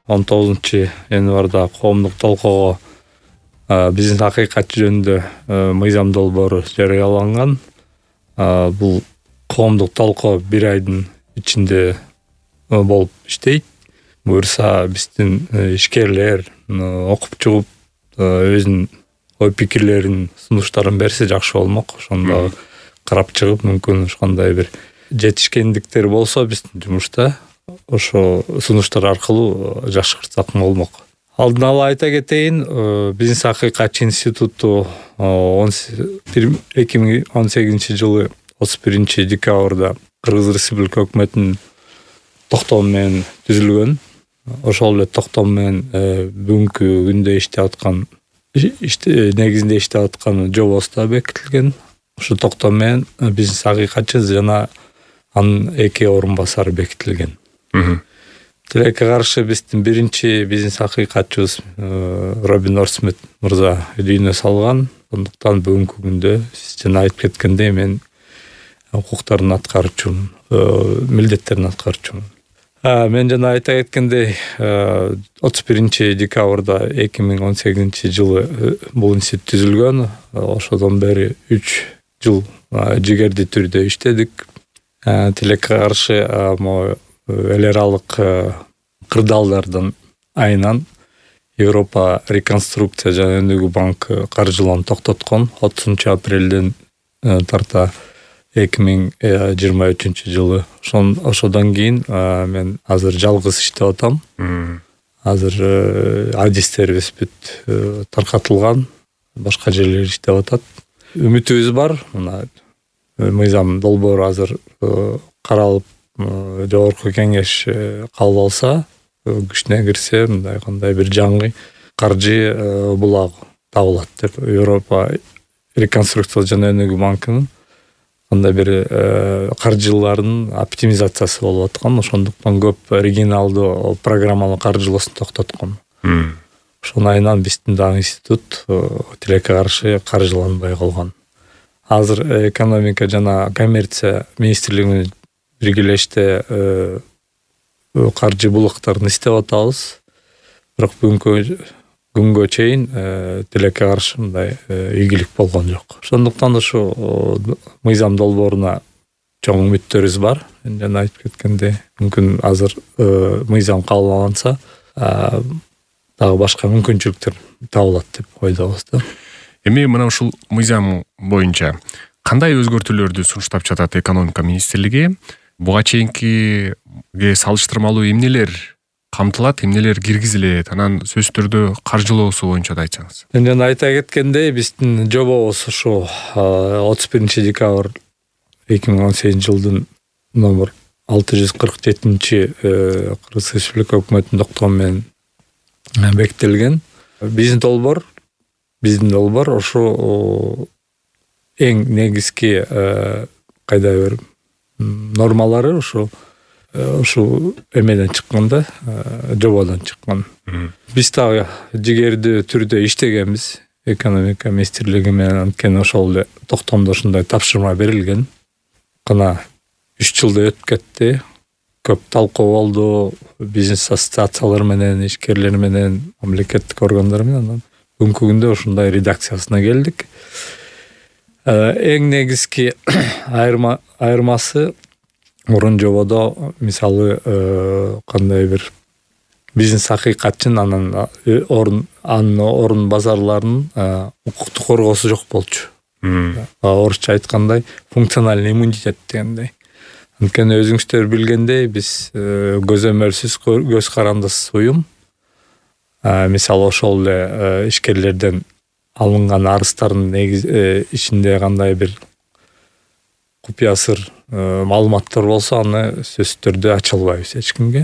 19-январда коомдук талкуого биздин акыйкат жөнүндө мыйзам долбоору жарыяланган. Бул коомдук талкуу 1 айдын ичинде болуп иштейт. Буюрса биздин ишкерлер окуп чыгып өзүнүн ой пикирлерин, сунуштарын берсе жакшы болмок. Ошондо карап чыгып, мүмкүн ушкандай бир жетишкендиктер болсо биздин жумушта ошо сунуштар аркылуу жакшыртсак болмок. Алдын ала айта кетейин, Бизнес акыйкат институту 2018-жылы 31-декабрда Кыргыз Республика өкмөтүнүн токтому менен түзүлгөн. Ошол эле токтом менен бүгүнкү күндө негизинде иштеп аткан жобосу да бекитилген. Ошол токтом менен бизнес акыйкатчы жана анын 2 орун басары бекитилген. Тилекке каршы биздин биринчи бизнес акыйкатчыбыз Робин Орсмит мырза дүйнө салган. Ошондуктан бүгүнкү күндө сиз жана айтып кеткендей мен укуктарын аткарчумун, милдеттерин аткарчумун. Мен жана айта кеткендей 31-декабрда 2018-жылы бул институт түзүлгөн. Ошодон бери 3 жыл жигердүү түрдө иштедик. Тилекке каршы эл аралык кырдаалдардын айынан Европа реконструкция жана өнүгүү банкы каржылоону токтоткон 30-апрелден тарта 2023-жылы. Ошодон кийин мен азыр жалгыз иштеп атам. Азыр адистерибиз бүт таркатылган, башка жерлер иштеп атат. Үмүтүбүз бар. Мына мыйзам долбоору азыр каралып, жогорку кеңеш кабыл алса, күчүнө кирсе, мындай кандай бир жаңы каржы булагы табылат деп Европа реконструкция жана өнүгүү банкынын кандай бир каржылардын оптимизациясы болуп аткан. Ошондуктан көп оригиналдуу программалык каржылоосун токтоткон. Ошонун айынан биздин дагы институт тилекке каршы каржыланбай калган. Азыр экономика жана коммерция министрлиги менен биргелеште каржы булактарын издеп атабыз. Бирок бүгүнкү күнгө чейин тилекке каршы мындай ийгилик болгон жок. Ошондуктан ушу мыйзам долбооруна чоң үмүттөрүбүз бар. Мен жана айтып кеткендей, мүмкүн азыр мыйзам кабыл алынса, дагы башка мүмкүнчүлүктөр табылат деп ойдобуз да. Эми мына ушул мыйзам боюнча кандай өзгөртүүлөрдү сунуштап жатат экономика министрлиги? Буга чейинкиге салыштырмалуу эмнелер камтылат, эмнелер киргизилет? Анан сөзсүз түрдө каржылоосу боюнча да айтсаңыз. Мен жана айта кеткендей, биздин жобобуз ушу 31-декабрь 2018-жылдын номер 647 Кыргыз Республика өкмөтүнүн токтому менен бекитилген. Биздин долбоор ошо эң негизги кайдайбыр нормалары ушу эмеден чыккан да, жободон чыккан. Биз дагы жигердүү түрдө иштегенбиз экономика министрлиги менен, анткени ошол эле токтомдо ушундай тапшырма берилген. Кана 3 жылда өтүп кетти. Көп талкуу болду, бизнес ассоциациялар менен, ишкерлер менен, мамлекеттик органдар менен. Бүгүнкү күндө ушундай редакциясына келдик. Эң негизги айырмасы мурун жободо мисалы кандай бир бизнес акыйкатчын анын орун базарларынын укуктук коргоосу жок болчу. Орусча айткандай функциональный иммунитет дегендей. Анткени өзүңүздөр билгендей, биз көзөмөлсүз, көз карандысыз уюм. Мисалы ошол эле ишкерлерден алынган арыздардын ичинде кандай бир купуя сыр маалыматтар болсо, аны сөзсүз түрдө ача албайбыз эч кимге.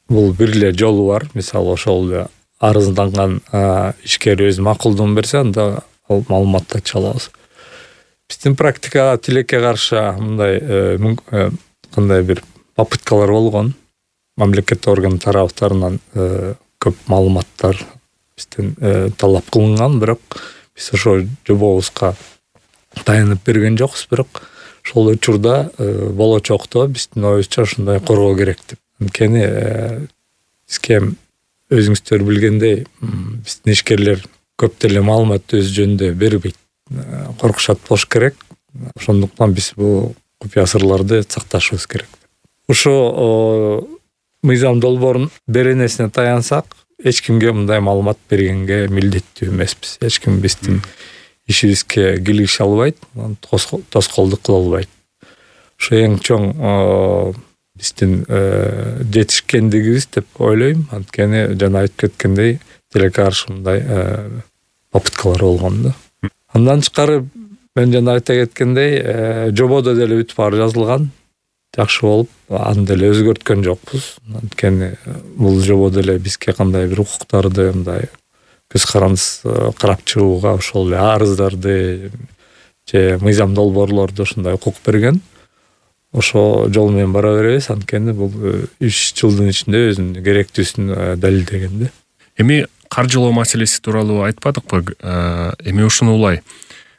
Бул бир эле жолу бар. Мисалы ошол эле арызданган ишкер өз макулдугун берсе, анда ал маалыматты ача алабыз. Биздин практикада тилекке каршы мындай кандай бир попыткалар болгон. Мамлекет орган тараптарынан көп маалыматтар бизден талап кылынган, бирок биз ошо жобобузга таянып берген жокпуз. Бирок ошол учурда болочокто биздин оюбузча ушундай коргоо керек деп. Анткени бизге өзүңүздөр билгендей биздин ишкерлер көп деле маалымат өз жөнүндө бербейт, коркушат болуш керек. Ошондуктан биз бул купуя сырларды сакташыбыз керек. Ошо мыйзам долбоорунун беренесине таянсак, эч кимге мындай маалымат бергенге милдеттүү эмеспиз. Эч ким биздин ишибизге кийлигише албайт, тоскоолдук кыла албайт. Ошо эң чоң биздин жетишкендигибиз деп ойлойм. Анткени жана айтып кеткендей, тилекке каршы мындай попыткалар болгон да. Андан тышкары мен жана айта кеткендей, жободо деле бүт баары жазылган, жакшы болуп, аны деле өзгөрткөн жокпуз. Анткени бул жобо деле бизге кандай бир укуктарды, мындай көз карандысыз карап чыгууга, ошол эле арыздарды же мыйзам долбоорлорду ушундай укук берген. Ошо жол менен бара беребиз, анткени бул 3 жылдын ичинде өзүнүн керектүүсүн далилдеген да. Эми каржылоо маселеси тууралуу айтпадыкпы? Эми ушуну улай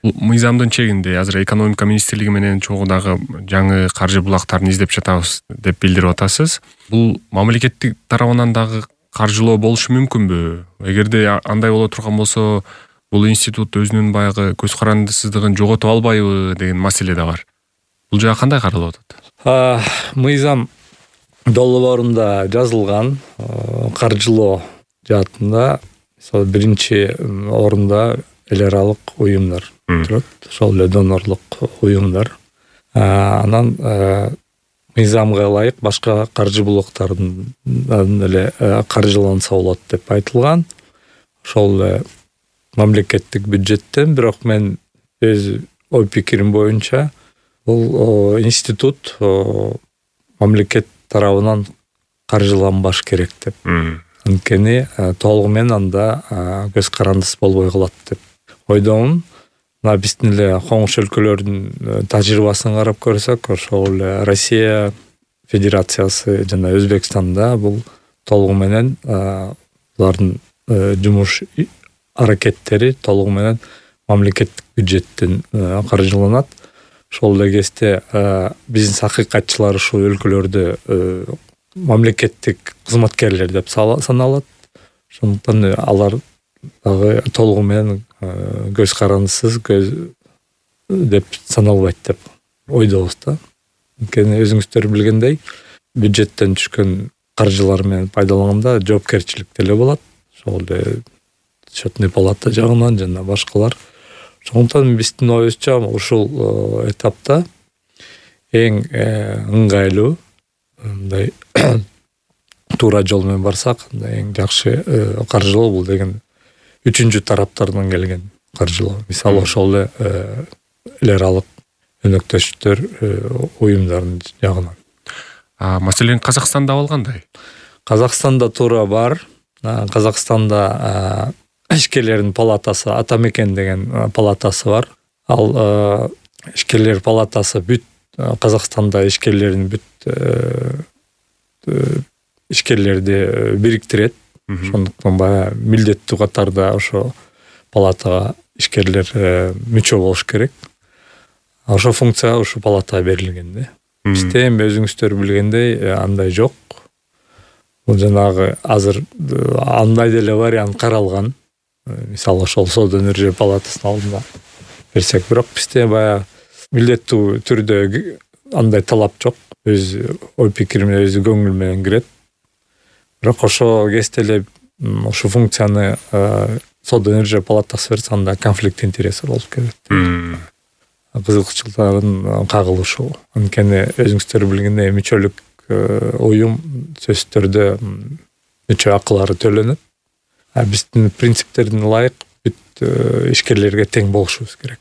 мыйзамдын чегинде азыр экономика министрлиги менен чогуу дагы жаңы каржы булактарын издеп жатабыз деп билдирип атасыз. Бул мамлекеттик тарабынан дагы каржылоо болушу мүмкүнбү? Эгерде андай боло турган болсо, бул институт өзүнүн баягы көз карандысыздыгын жоготуп албайбы деген маселе да бар. Бул жака кандай каралып атат? Мыйзам долбоорунда жазылган каржылоо жаатында мисалы биринчи орунда эл аралык уюмдар турат, ошол эле донорлук уюмдар. Анан мыйзамга ылайык башка каржы булактардан эле каржыланса болот деп айтылган. Ошол эле мамлекеттик бюджеттен, бирок мен өз ой пикирим боюнча бул институт мамлекет тарабынан каржыланбаш керек деп. Анткени толугу менен анда көз карандысыз болбой калат деп ойдомун. Мына биздин эле коңш өлкөлөрдүн тажрыйбасын карап көрсөк, ошол эле Россия Федерациясы жана Өзбекстанда бул толугу менен булардын жумуш аракеттери толугу менен мамлекеттик бюджеттен каржыланат. Ошол эле кезде бизнес акыйкатчылар ушул өлкөлөрдө мамлекеттик кызматкерлер деп саналат. Ошондуктан алар дагы толугу менен көз карандысыз деп саналбайт деп ойдобуз да. Анткени өзүңүздөр билгендей, бюджеттен түшкөн каржылар менен пайдаланганда жоопкерчилик деле болот. Ошол эле счетный палата жагынан жана башкалар. Ошондуктан биздин оюбузча ушул этапта эң ыңгайлуу мындай туура жол менен барсак, эң жакшы каржылоо бул деген үчүнчү тараптардан келген каржылоо. Мисалы ошол эле эл аралык өнөктөштөр уюмдардын жагынан. Маселен Казакстанда алгандай? Казакстанда туура бар. Казакстанда ишкерлердин палатасы, Атамекен деген палатасы бар. Ал ишкерлер палатасы бүт Казакстанда ишкерлердин бүт ишкерлерди бириктирет. Ошондуктан баягы милдеттүү катарда ошо палатага ишкерлер мүчө болуш керек. Ошо функция ушу палатага берилген да. Бизде эми өзүңүздөр билгендей андай жок. Бул жанагы азыр андай деле вариант каралган. Мисалы ошол соода өнөр палатасынын алдына берсек, бирок бизде баягы милдеттүү түрдө андай талап жок. Өз ой пикирим менен, өз көңүл менен кирет. Бирок ошо кезде эле ушу функцияны соода өнөр палатасы берсе, анда конфликт интересов болуп кетет. Кызыкчылыктардын кагылышы. Анткени өзүңүздөр билгендей мүчөлүк уюм сөзсүз түрдө мүчө акылары төлөнөт. Биздин принциптердин ылайык бүт ишкерлерге тең болушубуз керек.